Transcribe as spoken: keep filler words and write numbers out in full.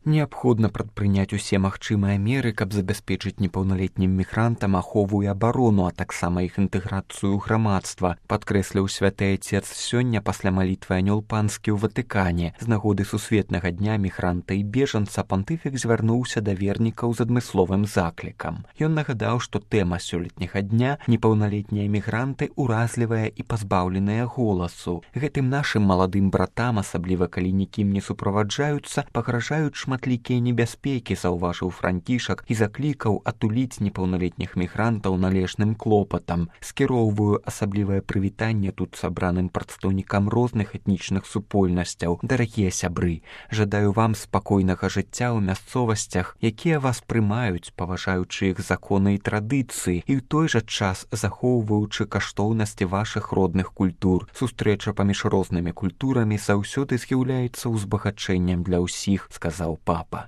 Неабходна прадпрыняць усе магчымыя меры, каб забяспечыць непаўналетнім мігрантам ахову і абарону, а таксама іх інтэграцыю ў грамадства, падкрэсліў святы айцец сёння пасля малітвы анёл панскі ў Ватыкане. З нагоды сусветнага дня мігранта і бежанца пантыфік звярнуўся да вернікаў з адмысловым заклікам. Ён нагадаў, што тэма сёлетняга дня непаўналетнія мігранты уразлівыя і пазбаўленыя голасу. Гэтым нашым маладым братам, асабліва калі нікім не суправаджаюцца, пагражаюць шматлікія небяспекі, заўважыў Францішак і заклікаў атуліць непаўналетніх мігрантаў належным клопатам. Скіроўваю асаблівае прывітанне тут сабраным прадстаўнікам розных этнічных супольнасцяў. Дарагія сябры, жадаю вам спакойнага жыцця ў мясцовасцях, якія вас прымаюць, паважаючы іх законы і традыцыі, і ў той жа час захоўваючы каштоўнасці вашых родных культур. Сустрэча паміж рознымі культурамі заўсёды з'яўляецца ўзбагачэннем для ўсіх, сказаў папа.